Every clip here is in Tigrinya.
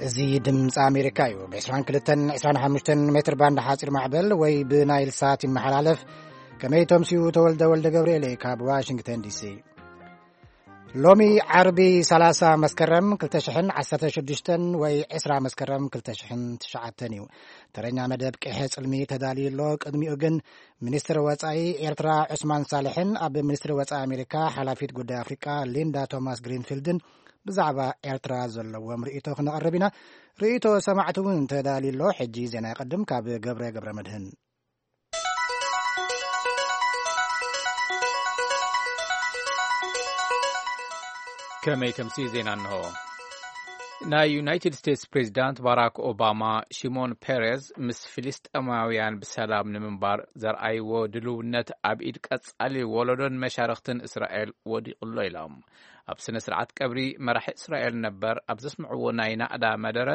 እዚ ድምፂ ኣሜሪካ እዩ። ብ22፣ 25 ሜትር ባንድ ሓፂር ማዕበል ወይ ብናይል ሳት ይመሓላለፍ። ከመይ ተምስዩ? ተወልደ ወልደ ገብርኤል ካብ ዋሽንግተን ዲሲ። ሎሚ ዓርቢ 30 መስከረም 2016 ወይ 20 መስከረም 2009 እዩ። ተረኛ መደብ ቅሐ ጽልሚ ተዳልዩ ኣሎ። ቅድሚኡ ግን ሚኒስትር ወጻኢ ኤርትራ ዑስማን ሳልሕን ኣብ ሚኒስትሪ ወጻኢ ኣሜሪካ ሓላፊት ጉዳይ ኣፍሪቃ ሊንዳ ቶማስ ግሪንፊልድን ብዛዕባ ኤርትራ ዘለዎም ርእይቶ ክነቕርብ ኢና። ርእይቶ ሰማዕቲ እውን ተዳልዩ ኣሎ። ሕጂ ዜና ይቐድም ካብ ገብረ ገብረ መድህን። ከመይ ተምሲ ዜና እንሆ። ናይ ዩናይትድ ስቴትስ ፕሬዚዳንት ባራክ ኦባማ፣ ሽሞን ፔሬዝ ምስ ፍልስጤማውያን ብሰላም ንምንባር ዘርኣይዎ ድልውነት ኣብ ኢድ ቀጻሊ ወለዶን መሻርኽትን እስራኤል ወዲቑ ኣሎ ኢሎም። ኣብ ስነ ስርዓት ቀብሪ መራሒ እስራኤል ነበር ኣብ ዘስምዕዎ ናይ ናእዳ መደረ፣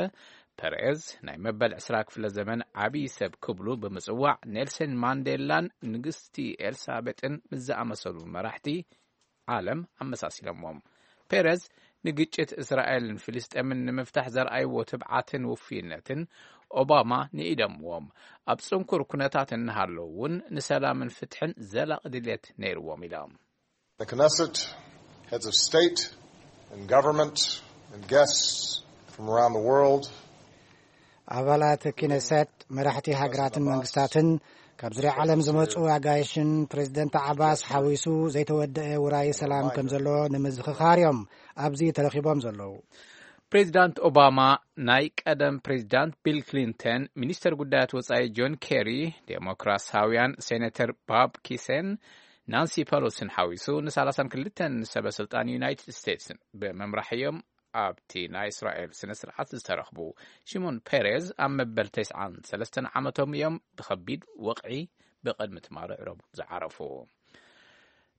ፐሬዝ ናይ መበል ዕስራ ክፍለ ዘመን ዓብዪ ሰብ ክብሉ ብምጽዋዕ፣ ኔልሰን ማንዴላን ንግስቲ ኤልሳቤጥን ምስ ዝኣመሰሉ መራሕቲ ዓለም ኣመሳሲሎምዎም። ፔሬዝ ንግጭት እስራኤልን ፍልስጤምን ንምፍታሕ ዘርኣይዎ ትብዓትን ውፍይነትን ኦባማ ንኢደምዎም። ኣብ ጽንኩር ኩነታት እናሃለዉ እውን ንሰላምን ፍትሕን ዘላቒ ድሌት ነይርዎም ኢሎም። The Knesset, heads of state and government, and guests from around the world. ኣባላት ኪነሰት፣ መራሕቲ ሃገራትን መንግስታትን፣ ካብ ዙርያ ዓለም ዝመጹ ኣጋይሽን ፕሬዚደንት ዓባስ ሓዊሱ ዘይተወደአ ውራይ ሰላም ከም ዘሎ ንምዝኽኻር እዮም ኣብዚ ተረኺቦም ዘለዉ። ፕሬዚዳንት ኦባማ፣ ናይ ቀደም ፕሬዚዳንት ቢል ክሊንተን፣ ሚኒስተር ጉዳያት ወጻኢ ጆን ኬሪ፣ ዴሞክራሲያውያን ሴኔተር ባብ ኪሴን ናንሲ ፐሎሲን ሓዊሱ ን32 ሰበ ስልጣን ዩናይትድ ስቴትስ ብምምራሕ እዮም ኣብቲ ናይ እስራኤል ስነ ስርዓት ዝተረኽቡ። ሽሞን ፔሬዝ ኣብ መበል ተስዓን ሰለስተን ዓመቶም እዮም ብኸቢድ ወቕዒ ብቕድሚ ትማሊ ረቡዕ ዝዓረፉ።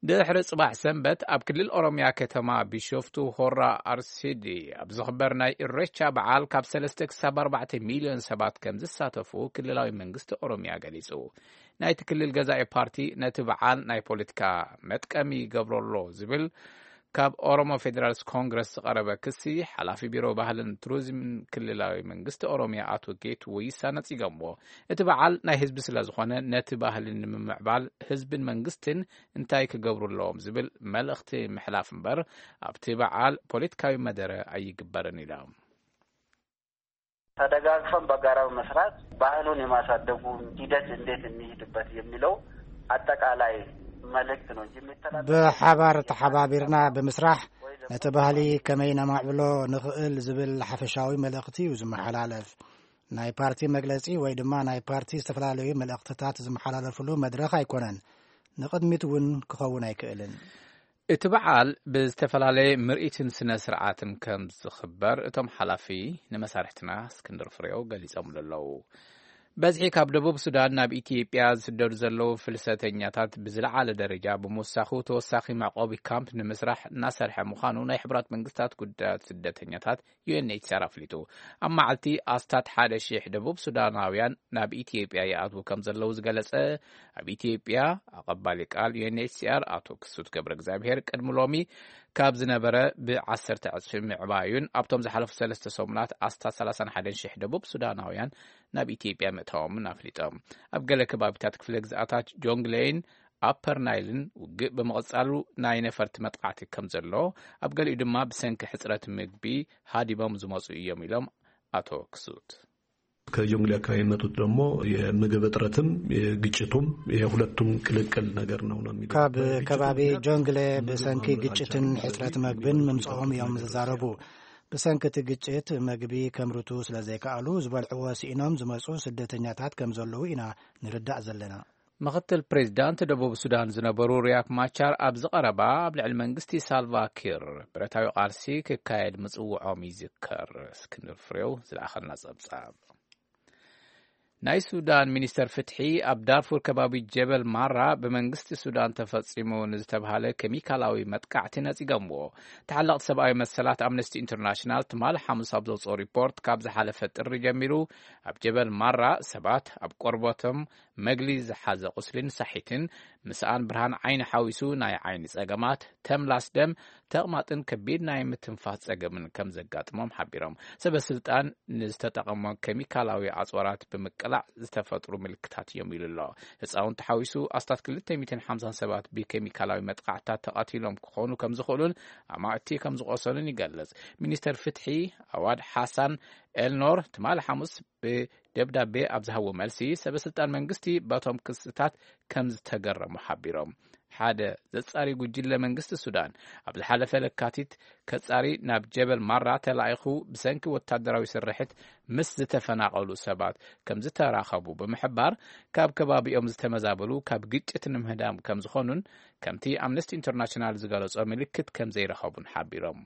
ድሕሪ ጽባሕ ሰንበት ኣብ ክልል ኦሮምያ ከተማ ቢሾፍቱ ሆራ ኣርሲዲ ኣብ ዝኽበር ናይ ኢሬቻ በዓል ካብ ሰለስተ ክሳብ ኣርባዕተ ሚልዮን ሰባት ከም ዝሳተፉ ክልላዊ መንግስቲ ኦሮምያ ገሊጹ። ናይቲ ክልል ገዛኢ ፓርቲ ነቲ በዓል ናይ ፖለቲካ መጥቀሚ ይገብሮ ኣሎ ዝብል ካብ ኦሮሞ ፌዴራልስ ኮንግረስ ዝቐረበ ክሲ፣ ሓላፊ ቢሮ ባህልን ቱሪዝምን ክልላዊ መንግስቲ ኦሮምያ ኣቶ ጌቱ ወይሳ ነጺጎምዎ። እቲ በዓል ናይ ህዝቢ ስለ ዝኾነ፣ ነቲ ባህሊ ንምምዕባል ህዝብን መንግስትን እንታይ ክገብሩ ኣለዎም ዝብል መልእኽቲ ምሕላፍ እምበር፣ ኣብቲ በዓል ፖለቲካዊ መደረ ኣይግበርን ኢሎም። ተደጋግፈን በጋራ በመስራት ባህሉን የማሳደጉ ሂደት እንዴት እንሂድበት የሚለው አጠቃላይ መልእክት ነው እንጂ የሚተላለፍ ብሓባር ተሓባቢርና ብምስራሕ ነቲ ባህሊ ከመይ ነማዕብሎ ንኽእል ዝብል ሓፈሻዊ መልእኽቲ እዩ ዝመሓላለፍ። ናይ ፓርቲ መግለጺ ወይ ድማ ናይ ፓርቲ ዝተፈላለዩ መልእኽትታት ዝመሓላለፍሉ መድረኽ ኣይኮነን። ንቕድሚት እውን ክኸውን ኣይክእልን። እቲ በዓል ብዝተፈላለየ ምርኢትን ስነ ስርዓትን ከም ዝኽበር እቶም ሓላፊ ንመሳርሕትና እስክንድር ፍሬው ገሊጾምሉ ኣለዉ። በዝሒ ካብ ደቡብ ሱዳን ናብ ኢትዮጵያ ዝስደዱ ዘለዉ ፍልሰተኛታት ብዝለዓለ ደረጃ ብምውሳኹ፣ ተወሳኺ መዕቆቢ ካምፕ ንምስራሕ እናሰርሐ ምዃኑ ናይ ሕቡራት መንግስታት ጉዳያት ስደተኛታት ዩ ኤን ኤች ሲ ኣር ኣፍሊጡ። ኣብ መዓልቲ ኣስታት ሓደ ሺሕ ደቡብ ሱዳናውያን ናብ ኢትዮጵያ ይኣትዉ ከም ዘለዉ ዝገለጸ ኣብ ኢትዮጵያ ኣቐባሊ ቃል ዩ ኤን ኤች ሲ ኣር ኣቶ ክሱት ገብረ እግዚኣብሔር፣ ቅድሚ ሎሚ ካብ ዝነበረ ብዓሰርተ ዕጽፊ ምዕባዩን ኣብቶም ዝሓለፉ ሰለስተ ሰሙናት ኣስታት ሰላሳን ሓደን ሺሕ ደቡብ ሱዳናውያን ናብ ኢትዮጵያ ምእታዎምን ኣፍሊጦም። ኣብ ገለ ከባቢታት ክፍለ ግዝኣታት ጆንግሌይን ኣፐር ናይልን ውግእ ብምቕጻሉ ናይ ነፈርቲ መጥቃዕቲ ከም ዘሎ፣ ኣብ ገሊኡ ድማ ብሰንኪ ሕጽረት ምግቢ ሃዲሞም ዝመጹ እዮም ኢሎም ኣቶ ክሱት። ከጆንግሌ አካባቢ የመጡት ደግሞ የምግብ እጥረትም የግጭቱም የሁለቱም ቅልቅል ነገር ነው ነው የሚሉት። ካብ ከባቢ ጆንግሌ ብሰንኪ ግጭትን ሕጽረት መግብን ምምጽኦም እዮም ዝዛረቡ። ብሰንኪ እቲ ግጭት መግቢ ከምርቱ ስለ ዘይከኣሉ ዝበልዕዎ ስኢኖም ዝመጹ ስደተኛታት ከም ዘለዉ ኢና ንርዳእ ዘለና። ምኽትል ፕሬዚዳንት ደቡብ ሱዳን ዝነበሩ ሪያክ ማቻር ኣብዚ ቀረባ ኣብ ልዕሊ መንግስቲ ሳልቫ ኪር ብረታዊ ቃልሲ ክካየድ ምጽውዖም ይዝከር። እስክንድር ፍሬው ዝለኣኸልና ጸብጻብ። ናይ ሱዳን ሚኒስተር ፍትሒ ኣብ ዳርፉር ከባቢ ጀበል ማራ ብመንግስቲ ሱዳን ተፈጺሙ ንዝተብሃለ ኬሚካላዊ መጥቃዕቲ ነጺጎምዎ። ተሓለቕቲ ሰብኣዊ መሰላት ኣምነስቲ ኢንተርናሽናል ትማሊ ሓሙስ ኣብ ዘውፅኦ ሪፖርት፣ ካብ ዝሓለፈ ጥሪ ጀሚሩ ኣብ ጀበል ማራ ሰባት ኣብ ቆርበቶም መግሊ ዝሓዘ ቁስሊን ሳሒትን፣ ምስኣን ብርሃን ዓይኒ ሓዊሱ ናይ ዓይኒ ጸገማት፣ ተምላስ ደም፣ ተቕማጥን ከቢድ ናይ ምትንፋስ ጸገምን ከም ዘጋጥሞም ሓቢሮም። ሰበ ስልጣን ንዝተጠቐሞ ኬሚካላዊ ኣጽዋራት ብምቅላዕ ዝተፈጥሩ ምልክታት እዮም ኢሉ ኣሎ። ህፃውንቲ ሓዊሱ ኣስታት ክልተ ሚእትን ሓምሳን ሰባት ብኬሚካላዊ መጥቃዕታት ተቐቲሎም ክኾኑ ከም ዝኽእሉን ኣማእቲ ከም ዝቆሰሉን ይገልጽ። ሚኒስተር ፍትሒ ኣዋድ ሓሳን ኤልኖር ትማሊ ሓሙስ ብደብዳቤ ኣብ ዝሃቦ መልሲ፣ ሰበ ስልጣን መንግስቲ በቶም ክስታት ከም ዝተገረሙ ሓቢሮም። ሓደ ዘጻሪ ጉጅለ መንግስቲ ሱዳን ኣብ ዝሓለፈ ለካቲት ከጻሪ ናብ ጀበል ማራ ተላኢኹ ብሰንኪ ወታደራዊ ስርሒት ምስ ዝተፈናቐሉ ሰባት ከም ዝተራኸቡ ብምሕባር፣ ካብ ከባቢኦም ዝተመዛበሉ ካብ ግጭት ንምህዳም ከም ዝኾኑን ከምቲ ኣምነስቲ ኢንተርናሽናል ዝገለጾ ምልክት ከም ዘይረኸቡን ሓቢሮም።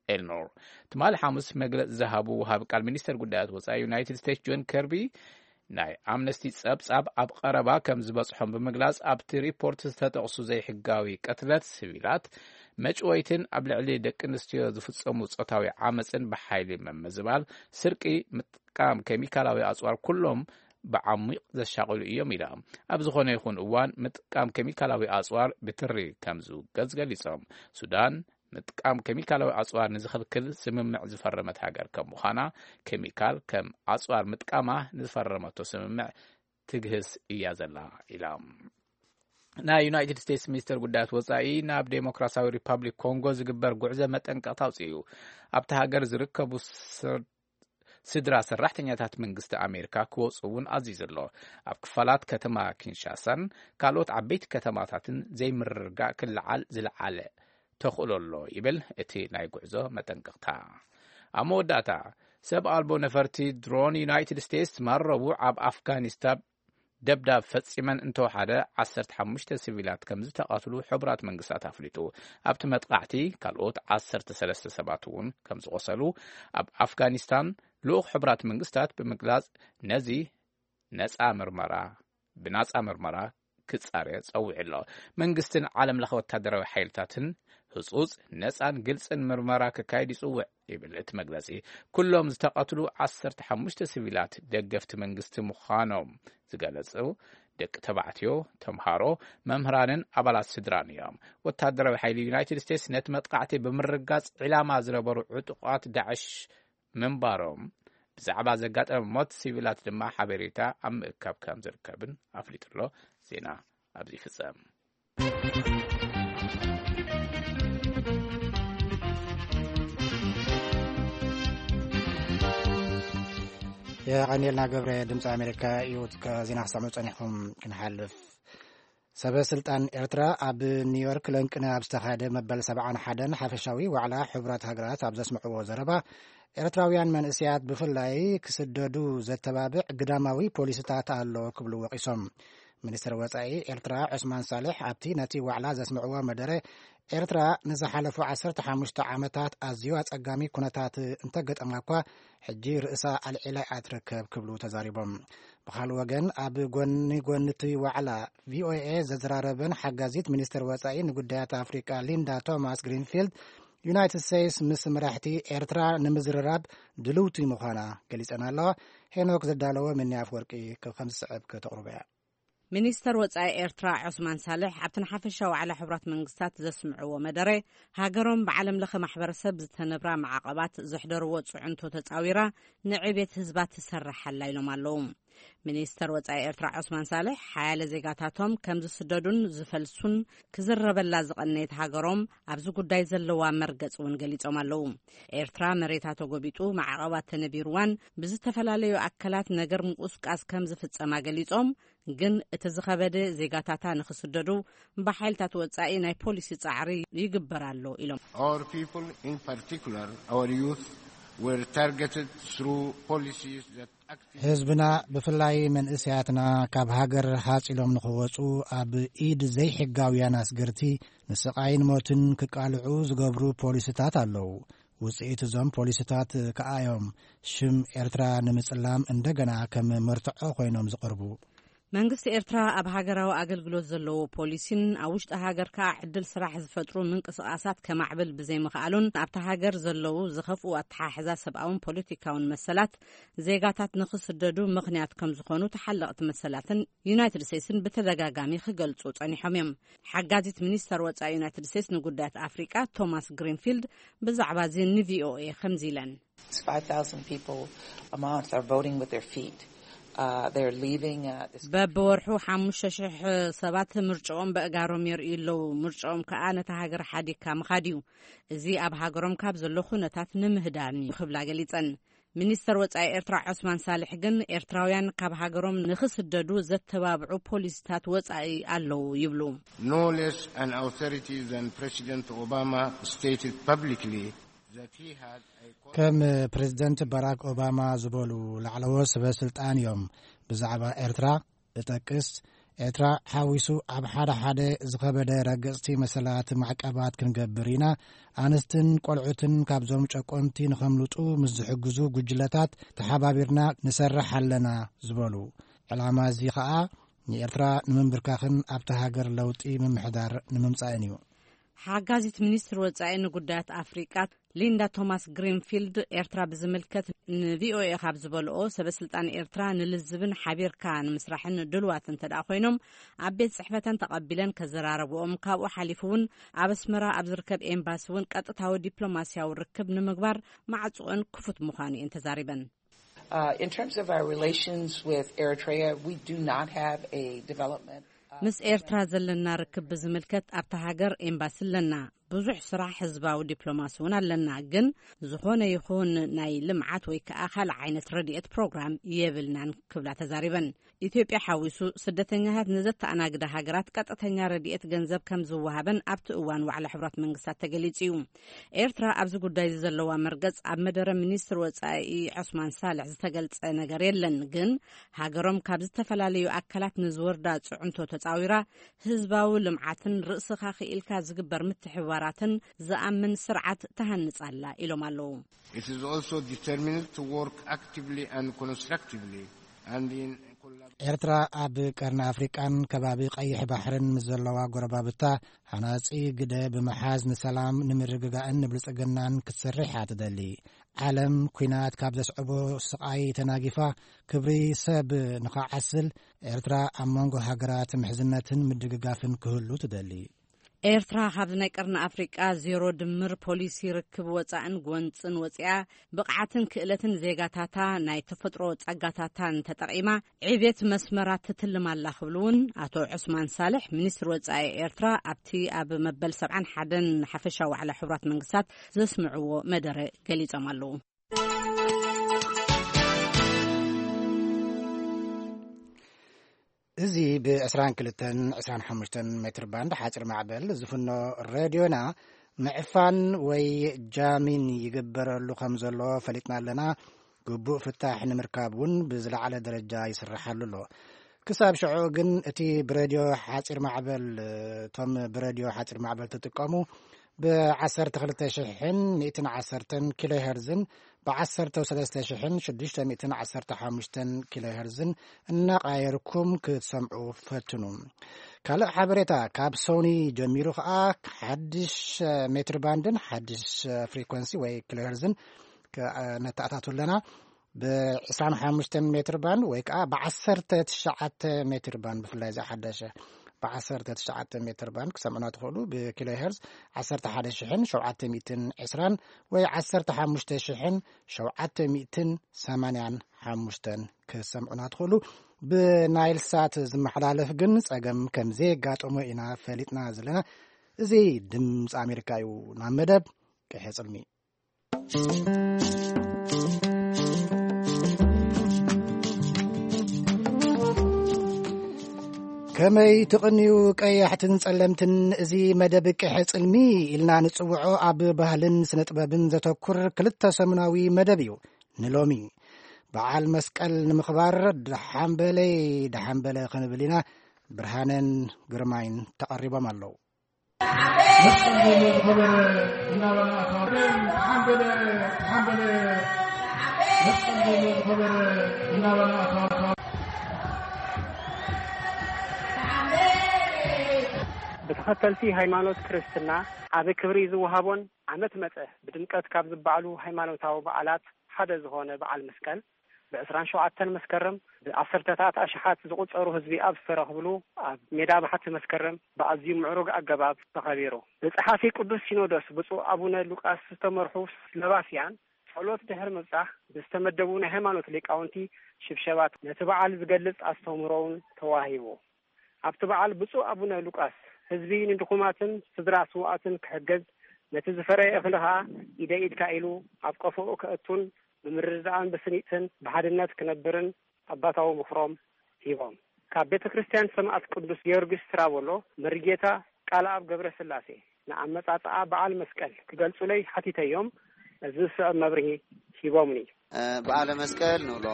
ኤልኖር ትማሊ ሓሙስ መግለጺ ዝሃቡ ወሃቢ ቃል ሚኒስተር ጉዳያት ወጻኢ ዩናይትድ ስቴትስ ጆን ከርቢ፣ ናይ ኣምነስቲ ጸብጻብ ኣብ ቀረባ ከም ዝበጽሖም ብምግላጽ፣ ኣብቲ ሪፖርት ዝተጠቕሱ ዘይሕጋዊ ቅትለት ሲቪላት፣ መጭወይትን ኣብ ልዕሊ ደቂ ኣንስትዮ ዝፍጸሙ ጾታዊ ዓመጽን ብሓይሊ ምምዝባል፣ ስርቂ፣ ምጥቃም ኬሚካላዊ ኣጽዋር ኩሎም ብዓሚቕ ዘሻቕሉ እዮም ኢላ። ኣብ ዝኾነ ይኹን እዋን ምጥቃም ኬሚካላዊ ኣጽዋር ብትሪ ከም ዝውገዝ ገሊጾም። ሱዳን ምጥቃም ኬሚካላዊ ኣጽዋር ንዝኽልክል ስምምዕ ዝፈረመት ሃገር ከም ምዃና፣ ኬሚካል ከም ኣጽዋር ምጥቃማ ንዝፈረመቶ ስምምዕ ትግህስ እያ ዘላ ኢላ። ናይ ዩናይትድ ስቴትስ ሚኒስተር ጉዳያት ወጻኢ ናብ ዴሞክራሲያዊ ሪፓብሊክ ኮንጎ ዝግበር ጉዕዞ መጠንቀቕታ ኣውጺኡ። ኣብቲ ሃገር ዝርከቡ ስር-፣ ስድራ ሰራሕተኛታት መንግስቲ ኣሜሪካ ክወጽኡ እውን ኣዚዙ ኣሎ። ኣብ ክፋላት ከተማ ኪንሻሳን ካልኦት ዓበይቲ ከተማታትን ዘይምርግጋእ ክለዓል ዝለዓለ ተኽእሎ ኣሎ ይብል እቲ ናይ ጉዕዞ መጠንቀቕታ። ኣብ መወዳእታ፣ ሰብ ኣልቦ ነፈርቲ ድሮን ዩናይትድ ስቴትስ ትማል ረቡዕ ኣብ ኣፍጋኒስታን ደብዳብ ፈጺመን እንተወሓደ ዓሰርተ ሓሙሽተ ሲቪላት ከም ዝተቐትሉ ሕቡራት መንግስታት ኣፍሊጡ። ኣብቲ መጥቃዕቲ ካልኦት ዓሰርተ ሰለስተ ሰባት እውን ከም ዝቖሰሉ ኣብ ኣፍጋኒስታን ልኡኽ ሕቡራት መንግስታት ብምግላጽ፣ ነዚ ነጻ ምርመራ፣ ብናጻ ምርመራ ክጻረ ጸዊዑ ኣሎ። መንግስትን ዓለም ለኸ ወታደራዊ ሓይልታትን ህጹጽ፣ ነጻን ግልጽን ምርመራ ክካየድ ይጽውዕ ይብል እቲ መግለጺ። ኩሎም ዝተቐትሉ ዓሰርተ ሓሙሽተ ሲቪላት ደገፍቲ መንግስቲ ምዃኖም ዝገለጹ ደቂ ተባዕትዮ፣ ተምሃሮ፣ መምህራንን ኣባላት ስድራን እዮም። ወታደራዊ ሓይሊ ዩናይትድ ስቴትስ ነቲ መጥቃዕቲ ብምርጋጽ፣ ዒላማ ዝነበሩ ዕጡቓት ዳዕሽ ምንባሮም፣ ብዛዕባ ዘጋጠመ ሞት ሲቪላት ድማ ሓበሬታ ኣብ ምእካብ ከም ዝርከብን ኣፍሊጡ ኣሎ። ዜና ኣብዚ ይፍጸም። የቐንየልና ገብረ። ድምፂ ኣሜሪካ እዩ። ዜና ክሰምዑ ጸኒሕኩም ክንሓልፍ፣ ሰበ ስልጣን ኤርትራ ኣብ ኒውዮርክ ለንቅነ ኣብ ዝተኻየደ መበል ሰብዓን ሓደን ሓፈሻዊ ዋዕላ ሕቡራት ሃገራት ኣብ ዘስምዕዎ ዘረባ፣ ኤርትራውያን መንእሰያት ብፍላይ ክስደዱ ዘተባብዕ ግዳማዊ ፖሊሲታት ኣሎ ክብሉ ወቒሶም። ሚኒስትር ወጻኢ ኤርትራ ዑስማን ሳልሕ ኣብቲ ነቲ ዋዕላ ዘስምዕዎ መደረ፣ ኤርትራ ንዝሓለፉ ዓሰርተ ሓሙሽተ ዓመታት ኣዝዩ ኣጸጋሚ ኩነታት እንተገጠማ እኳ፣ ሕጂ ርእሳ ኣልዒላ እያ ትርከብ ክብሉ ተዛሪቦም። ብኻልእ ወገን፣ ኣብ ጎኒ ጎኒ እቲ ዋዕላ ቪኦኤ ዘዘራረበን ሓጋዚት ሚኒስትር ወጻኢ ንጉዳያት ኣፍሪቃ ሊንዳ ቶማስ ግሪንፊልድ፣ ዩናይትድ ስቴትስ ምስ መራሕቲ ኤርትራ ንምዝርራብ ድልውቲ ምዃና ገሊጸን ኣለዋ። ሄኖክ ዘዳለወ፣ ምኒ ኣፍወርቂ ከም ዝስዕብ ከተቕርቦ እያ። ሚኒስተር ወጻኢ ኤርትራ ዑስማን ሳልሕ ኣብቲ ንሓፈሻ ዋዕላ ሕቡራት መንግስታት ዘስምዕዎ መደረ፣ ሃገሮም ብዓለም ለኸ ማሕበረሰብ ዝተነብራ ማዕቐባት ዘሕደርዎ ጽዕንቶ ተጻዊራ ንዕቤት ህዝባ ትሰርሕ ኣላ ኢሎም ኣለዉ። ሚኒስተር ወጻኢ ኤርትራ ዑስማን ሳልሕ፣ ሓያለ ዜጋታቶም ከም ዝስደዱን ዝፈልሱን ክዝረበላ ዝቐነየት ሃገሮም ኣብዚ ጉዳይ ዘለዋ መርገጽ እውን ገሊጾም ኣለዉ። ኤርትራ መሬታ ተጎቢጡ፣ ማዕቐባት ተነቢርዋን ብዝተፈላለዩ ኣካላት ነገር ምቁስቃስ ከም ዝፍጸማ ገሊጾም፣ ግን እቲ ዝኸበደ ዜጋታታ ንኽስደዱ ብሓይልታት ወጻኢ ናይ ፖሊሲ ጻዕሪ ይግበር ኣሎ ኢሎም። Our people, in particular our youth, were targeted through policies that actively ህዝብና፣ ብፍላይ መንእሰያትና፣ ካብ ሃገር ሃጽ ኢሎም ንኽወጹ ኣብ ኢድ ዘይሕጋውያን ኣስገርቲ ንስቓይን ሞትን ክቃልዑ ዝገብሩ ፖሊሲታት ኣለዉ። ውጽኢት እዞም ፖሊሲታት ከኣ እዮም ሽም ኤርትራ ንምጽላም እንደገና ከም መርትዖ ኮይኖም ዝቐርቡ። መንግስቲ ኤርትራ ኣብ ሃገራዊ ኣገልግሎት ዘለዎ ፖሊሲን ኣብ ውሽጢ ሃገር ከኣ ዕድል ስራሕ ዝፈጥሩ ምንቅስቓሳት ከማዕብል ብዘይምኽኣሉን ኣብታ ሃገር ዘለዉ ዝኸፍኡ ኣተሓሕዛ ሰብኣውን ፖለቲካውን መሰላት ዜጋታት ንኽስደዱ ምኽንያት ከም ዝኾኑ ተሓለቕቲ መሰላትን ዩናይትድ ስቴትስን ብተደጋጋሚ ክገልጹ ጸኒሖም እዮም። ሓጋዚት ሚኒስተር ወጻኢ ዩናይትድ ስቴትስ ንጉዳያት ኣፍሪቃ ቶማስ ግሪንፊልድ ብዛዕባ እዚ ንቪኦኤ ከምዚ ኢለን። It's five thousand people a month are voting with their feet. Uh, they're leaving. Uh, this በብወርሑ ሓሙሽተ ሽሕ ሰባት ምርጫኦም በእጋሮም የርእዩ ኣለዉ። ምርጫኦም ከኣ ነታ ሃገር ሓዲግካ ምኻድ እዩ። እዚ ኣብ ሃገሮም ካብ ዘሎ ኩነታት ንምህዳን እዩ ክብላ ገሊጸን። ሚኒስተር ወጻኢ ኤርትራ ዑስማን ሳልሕ ግን ኤርትራውያን ካብ ሃገሮም ንኽስደዱ ዘተባብዑ ፖሊሲታት ወጻኢ ኣለዉ ይብሉ። No less an authority than President Obama stated publicly that he had a ከም ፕሬዝደንት ባራክ ኦባማ ዝበሉ ላዕለዎት ሰበ ስልጣን እዮም ብዛዕባ ኤርትራ እጠቅስ። ኤርትራ ሓዊሱ ኣብ ሓደ ሓደ ዝኸበደ ረገጽቲ መሰላት ማዕቀባት ክንገብር ኢና። ኣንስትን ቆልዑትን ካብዞም ጨቆንቲ ንኸምልጡ ምስ ዝሕግዙ ጉጅለታት ተሓባቢርና ንሰርሕ ኣለና ዝበሉ። ዕላማ እዚ ኸኣ ንኤርትራ ንምንብርካኽን ኣብቲ ሃገር ለውጢ ምምሕዳር ንምምጻእን እዩ። ሓጋዚት ሚኒስትር ወጻኢ ንጉዳያት ኣፍሪቃ ሊንዳ ቶማስ ግሪንፊልድ ኤርትራ ብዝምልከት ንቪኦኤ ካብ ዝበልኦ፣ ሰበ ስልጣን ኤርትራ ንልዝብን ሓቢርካ ንምስራሕን ድልዋት እንተ ደኣ ኮይኖም ኣብ ቤት ጽሕፈተን ተቐቢለን ከዘራረብኦም፣ ካብኡ ሓሊፉ እውን ኣብ ኣስመራ ኣብ ዝርከብ ኤምባሲ እውን ቀጥታዊ ዲፕሎማስያዊ ርክብ ንምግባር ማዕጽኦን ክፉት ምዃኑ እየን ተዛሪበን። Uh, in terms of our relations with Eritrea, we do not have a development. Uh, ምስ ኤርትራ ዘለና ርክብ ብዝምልከት ኣብታ ሃገር ኤምባሲ ኣለና። ብዙሕ ስራሕ ህዝባዊ ዲፕሎማሲ እውን ኣለና። ግን ዝኾነ ይኹን ናይ ልምዓት ወይ ከዓ ካልእ ዓይነት ረድኤት ፕሮግራም የብልናን ክብላ ተዛሪበን። ኢትዮጵያ ሓዊሱ ስደተኛታት ንዘተኣናግዳ ሃገራት ቀጥተኛ ረድኤት ገንዘብ ከም ዝወሃበን ኣብቲ እዋን ዋዕላ ሕቡራት መንግስታት ተገሊጹ እዩ። ኤርትራ ኣብዚ ጉዳይ እዚ ዘለዋ መርገጽ ኣብ መደረ ሚኒስትር ወጻኢ ዑስማን ሳልሕ ዝተገልጸ ነገር የለን። ግን ሃገሮም ካብ ዝተፈላለዩ ኣካላት ንዝወርዳ ጽዕንቶ ተጻዊራ ህዝባዊ ልምዓትን ርእስኻ ክኢልካ ዝግበር ምትሕብባራትን ዝኣምን ስርዓት ተሃንጻ ኣላ ኢሎም ኣለዉ። It is also determined to work actively and constructively and in collab- ኤርትራ ኣብ ቀርኒ ኣፍሪቃን ከባቢ ቀይሕ ባሕርን ምስ ዘለዋ ጎረባብታ ሃናጺ ግደ ብምሓዝ ንሰላም፣ ንምርግጋእን ንብልጽግናን ክትሰርሕ እያ ትደሊ። ዓለም ኲናት ካብ ዘስዕቦ ስቓይ ተናጊፋ፣ ክብሪ ሰብ ንኸዓስል፣ ኤርትራ ኣብ መንጎ ሃገራት ምሕዝነትን ምድግጋፍን ክህሉ ትደሊ። ኤርትራ ካብዚ ናይ ቀርኒ ኣፍሪቃ ዜሮ ድምር ፖሊሲ ርክብ ወጻእን ጎንጽን ወጺኣ፣ ብቕዓትን ክእለትን ዜጋታታ ናይ ተፈጥሮ ጸጋታታን ተጠቒማ ዕብየት መስመራት ትትልም ኣላ ክብሉ እውን ኣቶ ዑስማን ሳልሕ፣ ሚኒስትር ወጻኢ ኤርትራ፣ ኣብቲ ኣብ መበል ሰብዓን ሓደን ሓፈሻዊ ዋዕላ ሕቡራት መንግስታት ዘስምዕዎ መደረ ገሊጾም ኣለዉ። እዚ ብ22 25 ሜትር ባንድ ሓፂር ማዕበል ዝፍኖ ሬድዮና ምዕፋን ወይ ጃሚን ይግበረሉ ከም ዘሎ ፈሊጥና ኣለና። ግቡእ ፍታሕ ንምርካብ እውን ብዝለዓለ ደረጃ ይስርሓሉ ኣሎ። ክሳብ ሽዑ ግን እቲ ብሬድዮ ሓፂር ማዕበል፣ እቶም ብሬድዮ ሓፂር ማዕበል ትጥቀሙ ብ12,110 ኪሎ ሄርዝን ብ13,615 ኪሎ ሄርዝን እናቃየርኩም ክትሰምዑ ፈትኑ። ካልእ ሓበሬታ፣ ካብ ሶኒ ጀሚሩ ከኣ ሓድሽ ሜትር ባንድን ሓድሽ ፍሪኮንሲ ወይ ኪሎ ሄርዝን ክ-፣ ነተኣታቱ ኣለና። ብ25 ሜትር ባንድ ወይ ከኣ ብ19 ሜትር ባንድ፣ ብፍላይ እዚ ሓደሸ ብ19 ሜትር ባንድ ክሰምዑና ትኽእሉ። ብኪሎ ሄርዝ 11,720 ወይ 15,785 ክሰምዑና ትኽእሉ። ብናይል ሳት ዝመሓላለፍ ግን ጸገም ከም ዘየጋጠሞ ኢና ፈሊጥና ዘለና። እዚ ድምፂ ኣሜሪካ እዩ። ናብ መደብ ቅሐ ጽልሚ። ከመይ ትቕንዩ ቀያሕትን ጸለምትን፣ እዚ መደብ ቅሐ ጽልሚ ኢልና ንጽውዖ ኣብ ባህልን ስነ ጥበብን ዘተኩር ክልተ ሰሙናዊ መደብ እዩ። ንሎሚ በዓል መስቀል ንምኽባር ደሓን በለይ ደሓን በለ ክንብል ኢና። ብርሃነን ግርማይን ተቐሪቦም ኣለዉ። መስቀል ዘሎ ዝኸበረ እናበላ ኣታ ሓንበለ ሓንበለ መስቀል ዘሎ ዝኸበረ እናበላ ኣታ ብተኸተልቲ ሃይማኖት ክርስትና ዓቢ ክብሪ ዝወሃቦን ዓመት መጸ ብድምቀት ካብ ዝበዓሉ ሃይማኖታዊ በዓላት ሓደ ዝኾነ በዓል መስቀል፣ ብ ዕስራን ሸውዓተን መስከረም ብዓሰርተታት ኣሽሓት ዝቑጸሩ ህዝቢ ኣብ ዝተረኽብሉ ኣብ ሜዳ ባሕቲ መስከረም ብኣዝዩ ምዕሩግ ኣገባብ ተኸቢሩ። ብጸሓፊ ቅዱስ ሲኖዶስ ብፁዕ ኣቡነ ሉቃስ ዝተመርሑ ስሎቫስያን ጸሎት ድሕሪ ምብጻሕ ብዝተመደቡ ናይ ሃይማኖት ሊቃውንቲ ሽብሸባት ነቲ በዓል ዝገልጽ ኣስተምህሮውን ተዋሂቡ። ኣብቲ በዓል ብፁዕ ኣቡነ ሉቃስ ህዝቢ ንድኹማትን ስድራ ስውኣትን ክሕግዝ ነቲ ዝፈረየ እኽሊ ኸኣ ኢደ ኢድካ ኢሉ ኣብ ቀፎኡ ከእቱን ብምርድዳእን ብስኒትን ብሓድነት ክነብርን ኣባታዊ ምኽሮም ሂቦም። ካብ ቤተ ክርስቲያን ሰማእት ቅዱስ ጊዮርጊስ ትራቦሎ መሪጌታ ቃል ኣብ ገብረ ስላሴ ንኣመጻጽኣ በዓል መስቀል ክገልጹለይ ሓቲተዮም እዚ ዝስዕብ መብርሂ ሂቦምኒ። በዓለ መስቀል ንብሎ።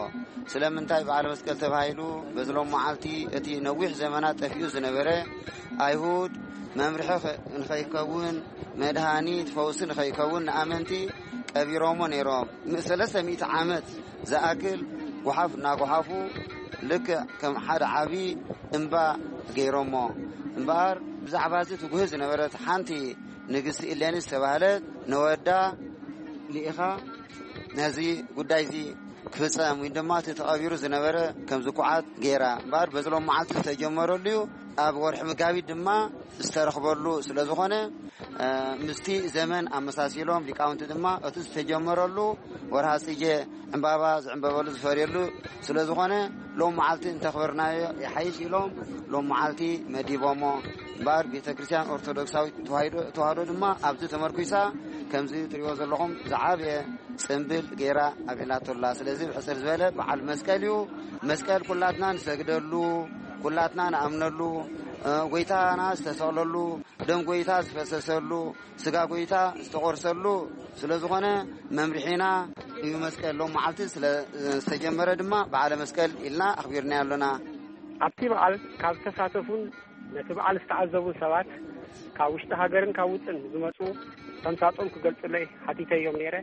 ስለምንታይ በዓለ መስቀል ተባሂሉ? በዚ ሎም መዓልቲ እቲ ነዊሕ ዘመናት ጠፊኡ ዝነበረ ኣይሁድ መምርሒ ንኸይከውን መድሃኒት ፈውሲ ንኸይከውን ንኣመንቲ ቀቢሮሞ ነይሮም። ም- ሰለስተ ሚእቲ ዓመት ዝኣክል ጓሓፍ እናጓሓፉ ልክዕ ከም ሓደ ዓቢ እምባ ገይሮሞ። እምበኣር ብዛዕባ እዚ ትጉህ ዝነበረት ሓንቲ ንግስቲ ኢሌኒ ዝተባህለት ነወዳ ልኢኻ ነዚ ጉዳይ እዚ ክፍጸም ወይ ድማ እቲ ተቐቢሩ ዝነበረ ከም ዝኩዓት ገይራ እምበኣር በዚ ሎም መዓልቲ ዝተጀመረሉ እዩ። ኣብ ወርሒ መጋቢት ድማ ዝተረኽበሉ ስለ ዝኾነ ምስቲ ዘመን ኣመሳሲሎም ሊቃውንቲ ድማ እቲ ዝተጀመረሉ ወርሃ ጽጌ ዕምባባ ዝዕምበበሉ ዝፈርየሉ ስለ ዝኾነ ሎም መዓልቲ እንተኽበርናዮ ይሓይሽ ኢሎም ሎም መዓልቲ መዲቦሞ። እምበኣር ቤተ ክርስቲያን ኦርቶዶክሳዊት ተዋሂዶ ተዋህዶ ድማ ኣብዚ ተመርኩሳ ከምዚ ትሪእዎ ዘለኹም ዝዓበየ ጽምብል ገይራ ኣብዒላቶላ። ስለዚ ብሕጽር ዝበለ በዓል መስቀል እዩ። መስቀል ኩላትና ንሰግደሉ፣ ኩላትና ንኣምነሉ፣ እ፣ ጎይታና ዝተሰቕለሉ፣ ደም ጎይታ ዝፈሰሰሉ፣ ስጋ ጎይታ ዝተቖርሰሉ ስለ ዝኾነ መምርሒና እዩ መስቀል። ሎም መዓልቲ ስለ ዝተጀመረ ድማ በዓለ መስቀል ኢልና ኣኽቢርናዮ ኣሎና። ኣብቲ በዓል ካብ ዝተሳተፉን ነቲ በዓል ዝተዓዘቡን ሰባት ካብ ውሽጢ ሃገርን ካብ ውጭን ዝመጹ ተምሳጦም ክገልጹለይ ሓቲተዮም ነይረ።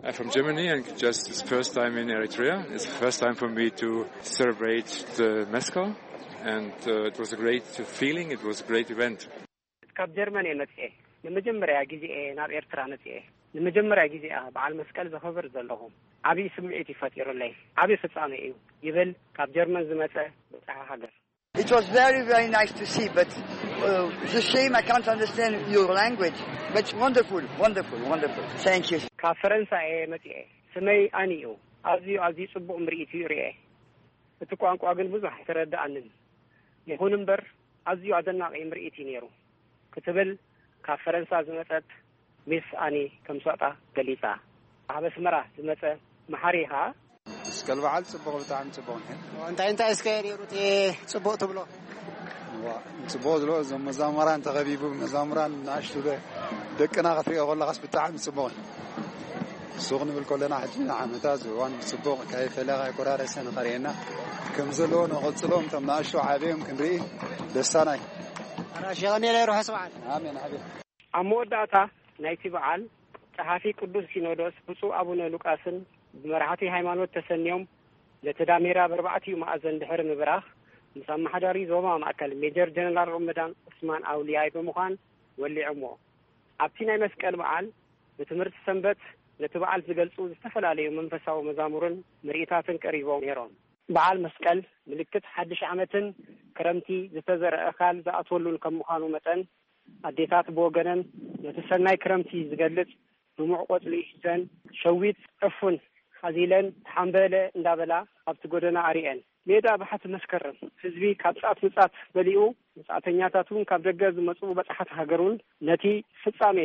I'm from Germany and just it's first time in Eritrea. It's the first time for me to celebrate the Meskel and uh, it was a great feeling, it was a great event. ካብ ጀርመን እየ መጽኤ። ንመጀመርያ ግዜ እየ ናብ ኤርትራ መጽኤ። ንመጀመርያ ግዜ እያ በዓል መስቀል ዘኸብር ዘለኹ። ዓብዪ ስምዒት እዩ ፈጢሩለይ። ዓብዪ ፍጻሜ እዩ ይብል ካብ ጀርመን ዝመጸ በጻሒ ሃገር። It was very, very nice to see, but uh, it's a shame I can't understand your language. But wonderful, wonderful, wonderful. Thank you. ካብ ፈረንሳ እየ መጽኤ። ስመይ ኣኒ እዩ። ኣዝዩ ኣዝዩ ጽቡቕ ምርኢት እዩ ርኤ። እቲ ቋንቋ ግን ብዙሕ ኣይተረድኣንን። ይኹን እምበር ኣዝዩ ኣደናቒ ምርኢት እዩ ነይሩ ክትብል ካብ ፈረንሳ ዝመጸት ሚስ ኣኒ ከም ሶጣ ገሊጻ። ኣብ ኣስመራ ዝመጸ መሓሪ ኸኣ መስቀል በዓል ጽቡቕ፣ ብጣዕሚ ጽቡቕ ነይሩ። እንታይ እንታይ እስከ ነይሩ እቲ ጽቡቕ ትብሎ? ዋ፣ ጽቡቕ ዝብሎ እዞም መዛሙራን ተኸቢቡ፣ መዛሙራን ንኣሽቱ ደ-፣ ደቅና ክትሪኦ ከለኻስ ብጣዕሚ ጽቡቕ እዩ። እሱ ክንብል ከለና ሕጂ ንዓመታ እዚ እዋን ብጽቡቕ ከይፈለኻ ኣይቆራረሰ ንኸርእየና ከም ዘለዎ ንቐጽሎም እቶም ንኣሽቱ ዓብዮም ክንርኢ ደስታና እዩ። ኣራሽ የቐንየለይ ርሑስ በዓል። ኣሜን፣ ኣሜን። ኣብ መወዳእታ ናይቲ በዓል ጸሓፊ ቅዱስ ሲኖዶስ ብፁዕ ኣቡነ ሉቃስን ብመራሕቲ ሃይማኖት ተሰንዮም ነቲ ዳሜራ በርባዕቲኡ መኣዘን ድሕሪ ምብራኽ ምስ ኣመሓዳሪ ዞባ ማእከል ሜጀር ጀነራል ሮመዳን ዑስማን ኣውልያይ ብምዃን ወሊዖሞ። ኣብቲ ናይ መስቀል በዓል ብትምህርቲ ሰንበት ነቲ በዓል ዝገልጹ ዝተፈላለዩ መንፈሳዊ መዛሙርን ምርኢታትን ቀሪቦም ነይሮም። በዓል መስቀል ምልክት ሓድሽ ዓመትን ክረምቲ ዝተዘርአ እኻል ዝኣትወሉን ከም ምዃኑ መጠን ኣዴታት ብወገነን ነቲ ሰናይ ክረምቲ ዝገልጽ ድሙዕ ቆጽሊ ሒዘን ሸዊት ዕፉን ሓዚለን ተሓምበለ እንዳበላ ኣብቲ ጎደና ኣሪኤን። ሜዳ ባሕቲ መስከረም ህዝቢ ካብ ጻት ንጻት መሊኡ፣ ወጻእተኛታት እውን ካብ ደገ ዝመጹ በጻሕቲ ሃገር እውን ነቲ ፍጻሜ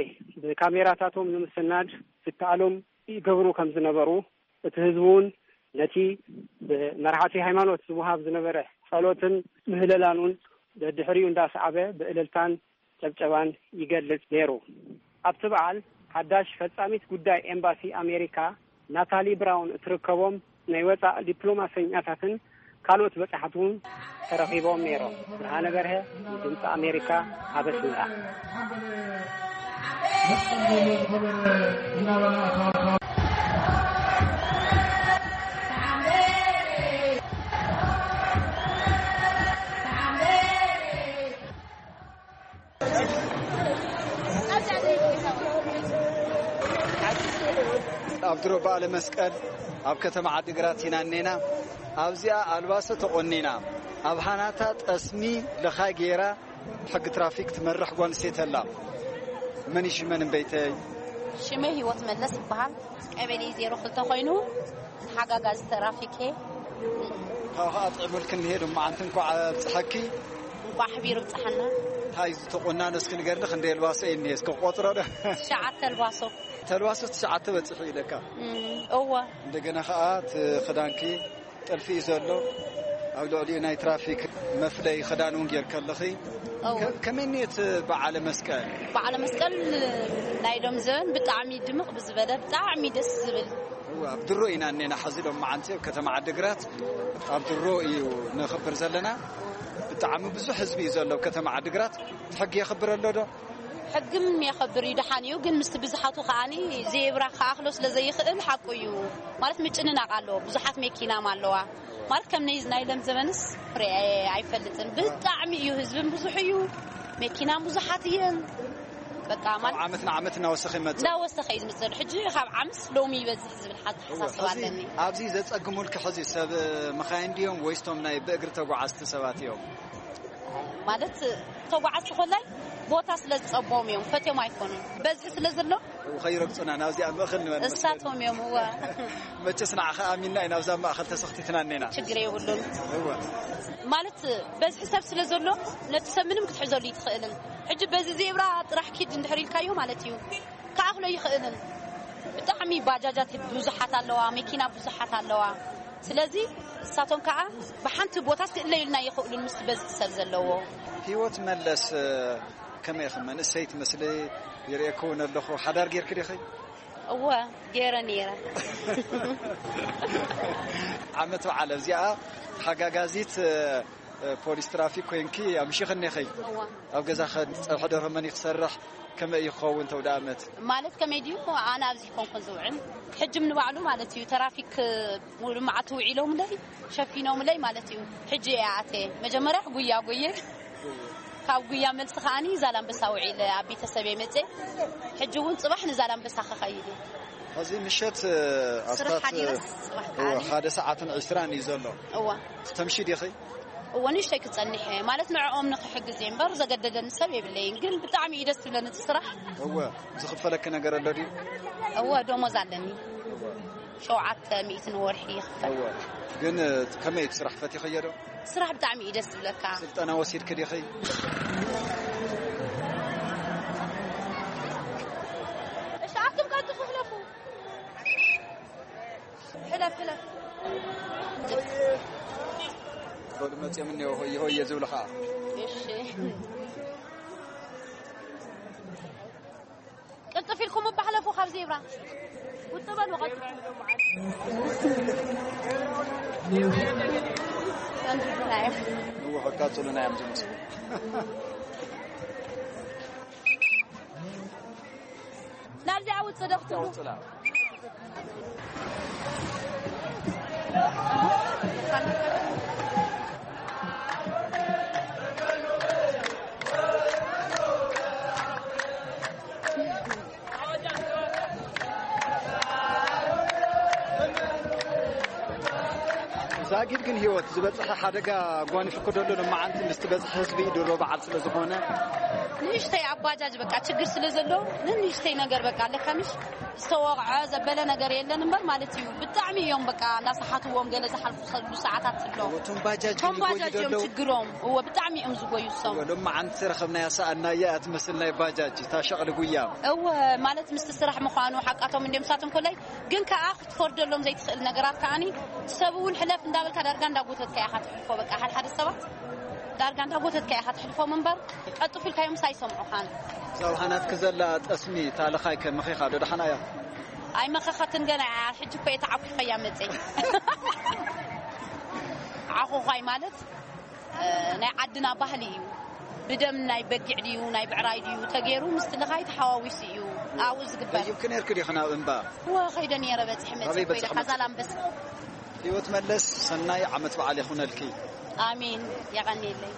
ብካሜራታቶም ንምስናድ ዝከኣሎም ይገብሩ ከም ዝነበሩ፣ እቲ ህዝቢ እውን ነቲ ብመራሕቲ ሃይማኖት ዝወሃብ ዝነበረ ጸሎትን ምህለላን እውን ደድሕሪኡ እንዳሰዓበ ብእልልታን ጨብጨባን ይገልጽ ነይሩ። ኣብቲ በዓል ሓዳሽ ፈጻሚት ጉዳይ ኤምባሲ ኣሜሪካ ናታሊ ብራውን እትርከቦም ናይ ወጻእ ዲፕሎማሰኛታትን ካልኦት በጻሕቲ እውን ተረኺቦም ነይሮም። ብርሃነ በርሀ፣ ድምፂ ኣሜሪካ፣ ኣብ ኣስመራ። ኣብ ድሮ በዓለ መስቀል ኣብ ከተማ ዓዲግራት ኢና እኔና። ኣብዚኣ ኣልባሶ ተቖኒና፣ ኣብ ሃናታ ጠስሚ ለኻይ ገይራ ሕጊ ትራፊክ ትመርሕ ጓል ኣንስተይቲ ኣላ። መን እዩ ሽመን እምበይተይ? ሽመይ ህይወት መለስ ይበሃል። ቀበሌ ዜሮ ክልተ ኮይኑ ሓጋጋዚ ትራፊክ እየ። ካብ ኸኣ ጥዕሙልክን ንሄድ እሞ ኣንቲ እንኳዕ ኣብጽሐኪ። እንኳዕ ኣሕቢሩ ብጽሓና። እንታይ እዩ ዝተቆናኖ እስኪ ንገርኒ፣ ክንደይ ኣልባሶ እዩ እኒሄ እስኪ ቆጽሮ ዶ? ትሽዓተ ኣልባሶ። ተልባሶ ትሽዓተ በጺሑ ኢለካ። እም፣ እወ። እንደገና ኸኣ እቲ ኽዳንኪ ጥልፊ እዩ ዘሎ። ኣብ ልዕሊኡ ናይ ትራፊክ መፍለይ ኽዳን እውን ጌርኪ ኣለኺ። እወ። ከ-፣ ከመይ እኒኦ እቲ በዓለ መስቀል? በዓለ መስቀል ናይ ሎም ዘበን ብጣዕሚ ድምቕ ብዝበለ ብጣዕሚ ደስ ዝብል። እወ፣ ኣብ ድሮ ኢና እኔና ሐዚ ሎም መዓንቲ ኣብ ከተማ ዓዲግራት ኣብ ድሮ እዩ ነኽብር ዘለና። ብጣዕሚ ብዙሕ ህዝቢ እዩ ዘሎ ኣብ ከተማ ዓዲግራት። እቲ ሕጊ የኽብር ኣሎ ዶ? ሕግም የኸብር እዩ፣ ደሓን እዩ። ግን ምስቲ ብዝሓቱ ከኣኒ ዜብራ ክኣኽሎ ስለ ዘይኽእል ሓቁ እዩ። ማለት ምጭንናቕ ኣሎ፣ ብዙሓት መኪናም ኣለዋ። ማለት ከም ነይዝ ናይ ለም ዘበንስ ፍሬ ኣይፈልጥን። ብጣዕሚ እዩ፣ ህዝብን ብዙሕ እዩ፣ መኪናም ብዙሓት እየን። በቃ ካብ ማለት ዓመት ንዓመት እናወሰኸ ይመጽእ። እንዳወሰኸ እዩ ዝመጽእ። ሕጂ ካብ ዓምስ ሎሚ ይበዝሕ ዝብል እወ፣ ሓተሓሳስባ ሕዚ ኣለኒ። ኣብዚ ዘጸግሙልኪ ሕዚ ሰብ መኻይን ድዮም ወይስ ቶም ናይ ብእግሪ ተጓዓዝቲ ሰባት እዮም? ማለት ተጓዓዝቲ ኮላይ ቦታ ስለ ዝጸብዎም እዮም፣ ፈትዮም ኣይኮኑን። በዝሒ ስለ ዘሎ እው፣ ከይረግጹና ናብዚኣ ማእኸል ንበል መስገን። እሳቶም እዮም፣ እወ። መቸስ ንዓኻ ኣሚንና ኢና ኣብዛ ማእኸል ተሰኽቲትና እኔና። ችግር የብሉን። እወ። ማለት በዝሒ ሰብ ስለ ዘሎ ነቲ ሰብ ምንም ክትሕዘሉ ይትኽእልን። ሕጂ በዚ ዜብራ ጥራሕ ኪድ እንድሕር ኢልካዮ ማለት እዩ፣ ክኣኽሎ ይኽእልን። ብጣዕሚ ባጃጃት ብዙሓት ኣለዋ፣ መኪና ብዙሓት ኣለዋ። ስለዚ እሳቶም ከዓ ብሓንቲ ቦታ ክእለዩልና ይኽእሉን ምስ በዝሒ ሰብ ዘለዎ። ህይወት መለስ፣ ከመይ ኢኺ? መንእሰይ ትመስሊ፣ ይርእየኪ እውን ኣለኹ። ሓዳር ጌርኪ ዲኺ? እወ፣ ገይረ ነይረ። ዓመት በዓል ኣብዚኣ ሓጋጋዚት፣ እ፣ ፖሊስ ትራፊክ ኮይንኪ ኣምሺኽኒ ኢኺ። እወ። ኣብ ገዛ ኸ ጸብሒ ደርሆ መን እዩ ክሰርሕ? ከመይ እዩ ክኸውን ተውደ ዓመት? ማለት ከመይ ድዩ? ኣነ ኣብዚ ኮንኩን ዝውዕል። ሕጂ ንባዕሉ ማለት እዩ፣ ተራፊክ ሙሉ መዓልቲ ውዒሎምለይ፣ ሸፊኖምለይ ማለት እዩ። ሕጂ እየ ኣትየ። መጀመርያ ጉያ ጉየ። ካብ ጉያ መልሲ ከዓኒ ዛላምበሳ ውዒለ ኣብ ቤተሰበይ መጽየ። ሕጂ እውን ጽባሕ ንዛላምበሳ ክኸይድ እየ። ሕዚ ምሸት፣ እ፣ ስራሕ ኣስታት፣ ሓዲረስ ጽባሕ እወ፣ ከዓኒ። ሓደ ሰዓትን ዕስራን እዩ ዘሎ። እወ። ተምሺ ዲኺ? እወ፣ ንእሽተይ ክጸንሕ እየ። ማለት ንዕኦም ንኽሕግዝ እየ እምበር ዘገደደኒ ሰብ የብለይን። ግን ብጣዕሚ እዩ ደስ ዝብለኒ እቲ ስራሕ። እወ፣ ዝኽፈለኪ ነገር ኣሎ ድዩ? እወ፣ ደሞዝ ኣለኒ። ሸውዓተ ሚእቲ ንወርሒ ይኽፈል። እወ፣ ግን፣ እ፣ ከመይ እቲ ስራሕ ፈቲኽዮ ዶ? ስራሕ ብጣዕሚ እዩ ደስ ዝብለካ። ስልጠና ወሲድኪ ዲኺ? እሺ፣ ኣቱም ቀልጥፉ፣ ሕለፉ። ሕለፍ፣ ሕለፍ። በሉ መፅኦም እኒኦ፣ ሆየ ሆየ ዝብሉ ኸዓ። እሺ። ቅልጥፍ ኢልኩም እባ ሕለፉ ካብ ዜብራ። ውጥ በሉ፣ ቀልጥፉ። ንውሕ ቀጽሉና እዮም ዝመስሉ። ናብዚኣ ውጽእ ዶ ክትብሉ? ውጽላ። ዛጊድ ግን ህይወት ዝበጽሐ ሓደጋ ጓኒፉ ክደሎ ሎማዓንቲ ምስቲ በዝሒ ህዝቢ ድሮ በዓል ስለ ዝኾነ። ንእሽተይ ኣብ ባጃጅ በቃ ችግር ስለ ዘሎ ንንእሽተይ ነገር በቃ ኣለካ ምሽ ዝተወቕዐ ዘበለ ነገር የለን እምበር ማለት እዩ። ብጣዕሚ እዮም በቃ እናሰሓትዎም ገለ ዝሓልፉ ሰሉ ሰዓታት ኣሎ። እቶም ባጃጅ እቶም ግን ይጎዩ ባጃጅ እዮም ዘለዉ። ችግሮም። እወ ብጣዕሚ እዮም ዝጎዩ እሶም። እወ ሎማዓንቲ ረኸብናያ ሰኣናያ እያ ትመስል ናይ ባጃጅ እታ ሸቕሊ ጉያ። እወ ማለት ምስቲ ስራሕ ምዃኑ ሓቃቶም እንዲዮም ሳቶም ኮላይ ግን ከኣ ክትፈርደሎም ዘይትኽእል ነገራት ከኣኒ ሰብ እውን ሕለፍ እንዳበልካ ዳርጋ እንዳጎተትካ ኢኻ ትሕልፎ። በቃ ሓደ ሓደ ሰባት ዳርጋ እንዳጎተትካ ኢኻ ትሕልፎም እምበር ቀልጥፍ ኢልካዮምስ ኣይሰምዑኻን። እዛ ብሃናትኪ ዘላ ጠስሚ እታ ልኻይ ከ መኺኻ ዶ ደሓና እያ? ኣይመኸኸትን ገና እያ። ሕጂ እኮ እየ ተዓኲኸያ መጸይ። ዓኾዃይ ማለት ናይ ዓድና ባህሊ እዩ። ብደም ናይ በጊዕ ድዩ ናይ ብዕራይ ድዩ ተገይሩ ምስቲ ልኻይ ተሓዋዊሱ እዩ ኣብኡ ዝግበር። ደይብኪ ነርኪ ዲኺ ናብ እምባ? እወ፣ ከይደ ነይረ፣ በፂሐ መፂአ። ኣበይ ኮይደ በፂሐ መፂአ? ካዛላምበሳ። ህይወት መለስ፣ ሰናይ ዓመት በዓል ይኹነልኪ። ኣሜን። የቐንየለይ።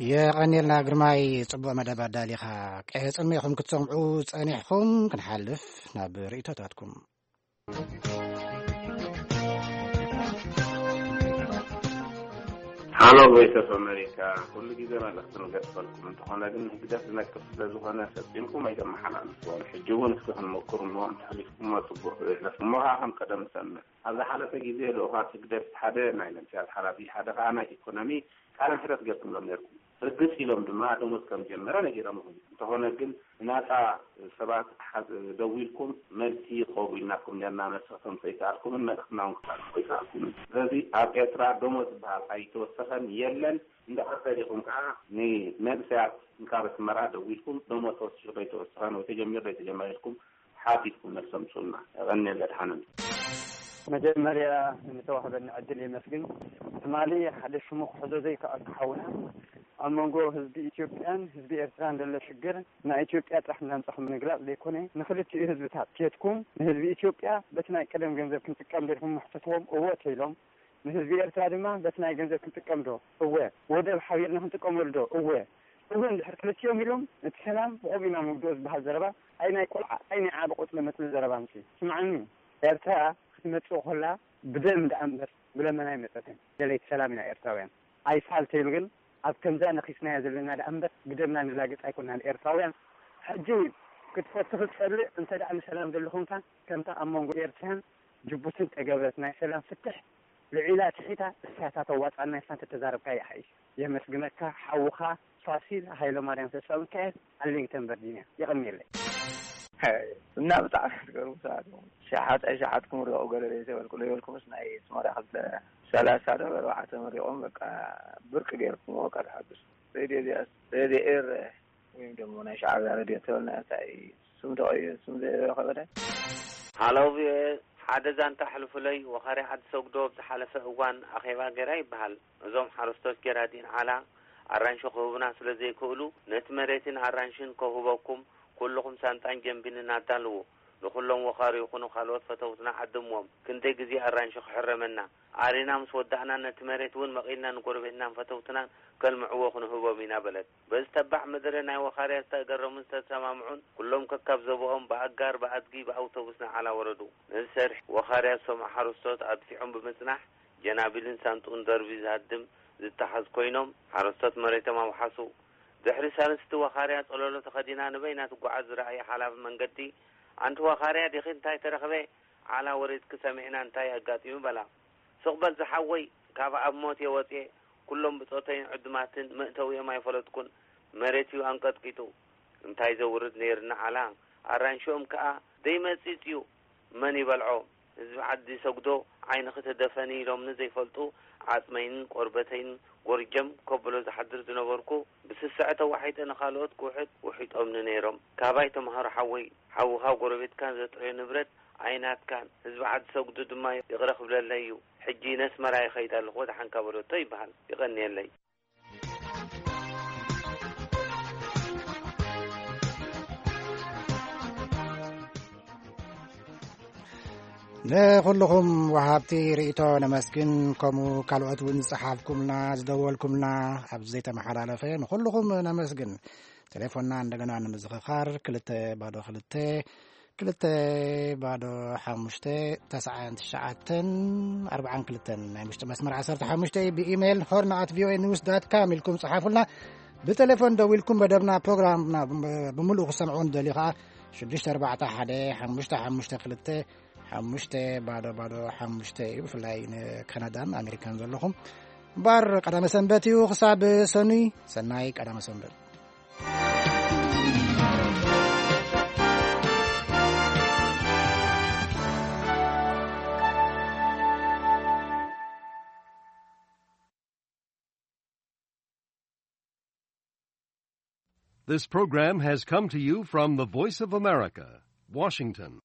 የቐንየልና ግርማይ፣ ጽቡቕ መደብ ኣዳሊኻ። ቀጽልሚ ኢኹም ክትሰምዑ ጸኒሕኹም። ክንሓልፍ ናብ ርእይቶታትኩም። ሃሎ ቮይስ ኦፍ ኣሜሪካ፣ ኩሉ ግዜ መልእኽቲ ንገድፈልኩም። እንተኾነ ግን ህግደፍ ዝነቅፍ ስለ ዝኾነ ፈጺምኩም ኣይተመሓላልፍዎም። ሕጂ እውን እስኪ ክንመክሩ እሞ እንተሕሊፍኩሞ ጽቡቕ ይሕለፍ። እሞ ኸዓ ከም ቀደም ንሰምዕ። ኣብ ዝሓለፈ ግዜ ልኡኻት ህግደፍ ሓደ ናይ መንስያት ሓላፊ ሓደ ኸዓ ናይ ኢኮኖሚ ቃለ መሕተት ገርኩምሎም ነርኩም። ርግጽ ኢሎም ድማ ደሞዝ ከም ጀመረ ነጊሮምኹም። እንተኾነ ግን ንናጻ ሰባት ሓ- ደዊልኩም መልሲ ክኸቡ ኢልናኩም ነርና፣ መልሲ ክተምጽኡ ኣይከኣልኩምን፣ መልእኽትና እውን ክተሕልፉ ኣይከኣልኩምን። ስለዚ ኣብ ኤርትራ ደሞዝ ዝበሃል ኣይተወሰኸን የለን። እንድሕር ደሊኹም ከዓ ንመንእሰያት እንካብ ኣስመራ ደዊልኩም ደሞዝ ተወሲኹ ዶ ኣይተወሰኸን ወይ ተጀሚሩ ዶ ኣይተጀመረ ኢልኩም ሓቲትኩም መልሲ ኣምጽኡልና። የቐንየለይ፣ ደሓን። መጀመርያ ንተዋህበኒ ዕድል የመስግን። ትማሊ ሓደ ሽሙ ክሕዞ ዘይከኣልኩ ሓውና ኣብ መንጎ ህዝቢ ኢትዮጵያን ህዝቢ ኤርትራን ዘሎ ሽግር ናይ ኢትዮጵያ ጥራሕ እንዳምጻኹም ንምግላጽ ዘይኮነ ንክልቲኡ ህዝብታት ኬድኩም ንህዝቢ ኢትዮጵያ በቲ ናይ ቀደም ገንዘብ ክንጥቀም ዶ ኢልኩም ምሕተትዎም እወ ተይሎም ንህዝቢ ኤርትራ ድማ በቲ ናይ ገንዘብ ክንጥቀም ዶ እወ ወደብ ሓቢርና ክንጥቀመሉ ዶ እወ እወ እንድሕር ክልቲኦም ኢሎም እቲ ሰላም ብኦም ኢና ንውድኦ ዝበሃል ዘረባ ኣይ ናይ ቆልዓ ኣይ ናይ ዓቢ ቆጽሊ መጽሊ ዘረባ ምጺ ስምዓኒ ኤርትራ ክትመጽእ ከላ ብደም ደኣ እምበር ብለመና ኣይመጸትን። ደለይቲ ሰላም ኢና ኤርትራውያን። ኣይፋል ተይሉ ግን ኣብ ከምዛ ነኺስናያ ዘለና ደኣ እምበር ብደምና ንላገጽ ኣይኮናን ኤርትራውያን። ሕጂ ክትፈቱ ክትጸልእ እንተ ደኣ ንሰላም ደሊ ኮንካ ከምታ ኣብ መንጎ ኤርትራን ጅቡትን ተገብረት ናይ ሰላም ፍትሕ ልዒላ ትሒታ እሳታ ተዋጻና ኢልካ እንተ ተዛረብካ ይሓይሽ። የመስግነካ ሓውኻ ፋሲል ሃይለማርያም ተስፋሚካኤል ኣርሊንግተን ቨርጂንያ። የቐንየለይ። እና ብጣዕሚ ትገርሙ ሰባት እዮም። ሸሓጥ ኣይሸሓጥኩም ርኦ ገለ ዘይተበልኩ ዘይበልኩምስ ናይ ስሞዳ ክልተ ሰላሳ ዶ ኣርባዕተ መሪቖም በቃ ብርቂ ገይርኩምዎ በቃ ተሓግሱ። ሬድዮ እዚኣስ ሬድዮ ኤረ ወይም ደሞ ናይ ሻዕብያ ሬድዮ ተበልና እንታይ ስም ተቐይሩ ስም ዘይረኸበ ደ ሃሎ ቪኦኤ ሓደ ዛንታ ኣሕልፉለይ። ወኻርያ ዓዲ ሰጉዶ ኣብ ዝሓለፈ እዋን ኣኼባ ገይራ ይበሃል። እዞም ሓረስቶት ጀራዲን ዓላ ኣራንሺ ክህቡና ስለ ዘይክእሉ ነቲ መሬትን ኣራንሽን ከውህበኩም ኩልኹም ሳንጣን ጀምቢንን ኣዳልዉ። ንኹሎም ወኻሪ ይኹኑ ካልኦት ፈተውትና ዓድምዎም። ክንደይ ግዜ ኣራንሺ ክሕረመና። ኣሪና ምስ ወዳእና ነቲ መሬት እውን መቒልና ንጎረቤትናን ፈተውትናን ከልምዕዎ ክንህቦም ኢና በለት። በዚ ተባዕ መደረ ናይ ወኻርያ ዝተገረሙን ዝተሰማምዑን ኩሎም ከካብ ዞብኦም ብኣጋር ብኣድጊ ብኣውቶቡስ ንዓላ ወረዱ። ነዚ ሰሪሕ ወኻርያ ዝሰምዑ ሓረስቶት ኣድፊዖም ብምጽናሕ ጀናቢልን ሳንጡን ደርቢ ዝሃድም ዝተሓዝ ኮይኖም ሓረስቶት መሬቶም ኣውሓሱ። ድሕሪ ሳልስቲ ወኻርያ ጸለሎ ተኸዲና ንበይና ትጓዓዝ ዝረኣየ ሓላፊ መንገዲ ኣንቲ ወኻርያ ዲኺ እንታይ ተረኽበ ዓላ ወሪድኪ ሰሚዕና እንታይ ኣጋጢሙ በላ። ስቕ በል ዝሓወይ ካብ ኣብ ሞት እየ ወፅየ ኩሎም ብፆተይን ዕዱማትን መእተዊኦም ኣይፈለጥኩን መሬት እዩ ኣንቀጥቂጡ እንታይ ዘውርድ ነይርና ዓላ ኣራንሽኦም ከዓ ደይመፂፅ እዩ መን ይበልዖ ህዝቢ ዓዲ ሰጉዶ ዓይንኺ ተደፈኒ ኢሎምኒ ዘይፈልጡ ዓፅመይን ቆርበተይን ጎርጀም ከብሎ ዝሓድር ዝነበርኩ ብስስዐ ተዋሒጠ ንኻልኦት ክውሕጥ ውሒጦምኒ ነይሮም ካባይ ተምሃሮ ሓወይ ሓውኻ ጎረቤትካን ዘጥረዮ ንብረት ኣይናትካን ህዝቢ ዓዲ ሰጉዱ ድማ ይቕረ ክብለለይ እዩ ሕጂ ነስመራ ይኸይድ ኣለኹ ወደሓንካ በለቶ ይበሃል ይቐንየለይ ንኹልኹም ወሃብቲ ርእቶ ነመስግን። ከምኡ ካልኦት እውን ዝጸሓፍኩምና ዝደወልኩምና ኣብዚ ዘይተመሓላለፈ ንኹልኹም ነመስግን። ቴሌፎንና እንደገና ንምዝኽኻር ክልተ ባዶ ክልተ ክልተ ባዶ ሓሙሽተ ተስዓን ትሽዓተን ኣርባዓን ክልተን ናይ ውሽጢ መስመር ዓሰርተ ሓሙሽተ ብኢሜይል ሆርን ኣት ቪኦኤ ኒውስ ዳት ካም ኢልኩም ጸሓፉልና። ብቴሌፎን ደዊልኩም መደብና ፕሮግራምና ብምሉኡ ክሰምዑ እንደልዩ ከዓ ሽዱሽተ ኣርባዕተ ሓደ ሓሙሽተ ሓሙሽተ ክልተ ሓሙሽተ ባዶ ባዶ ሓሙሽተ እዩ። ብፍላይ ንካናዳን ኣሜሪካን ዘለኹም እምበኣር ቀዳመ ሰንበት እዩ። ክሳብ ሰኑይ ሰናይ ቀዳመ ሰንበት። This program has come to you from the Voice of America, Washington.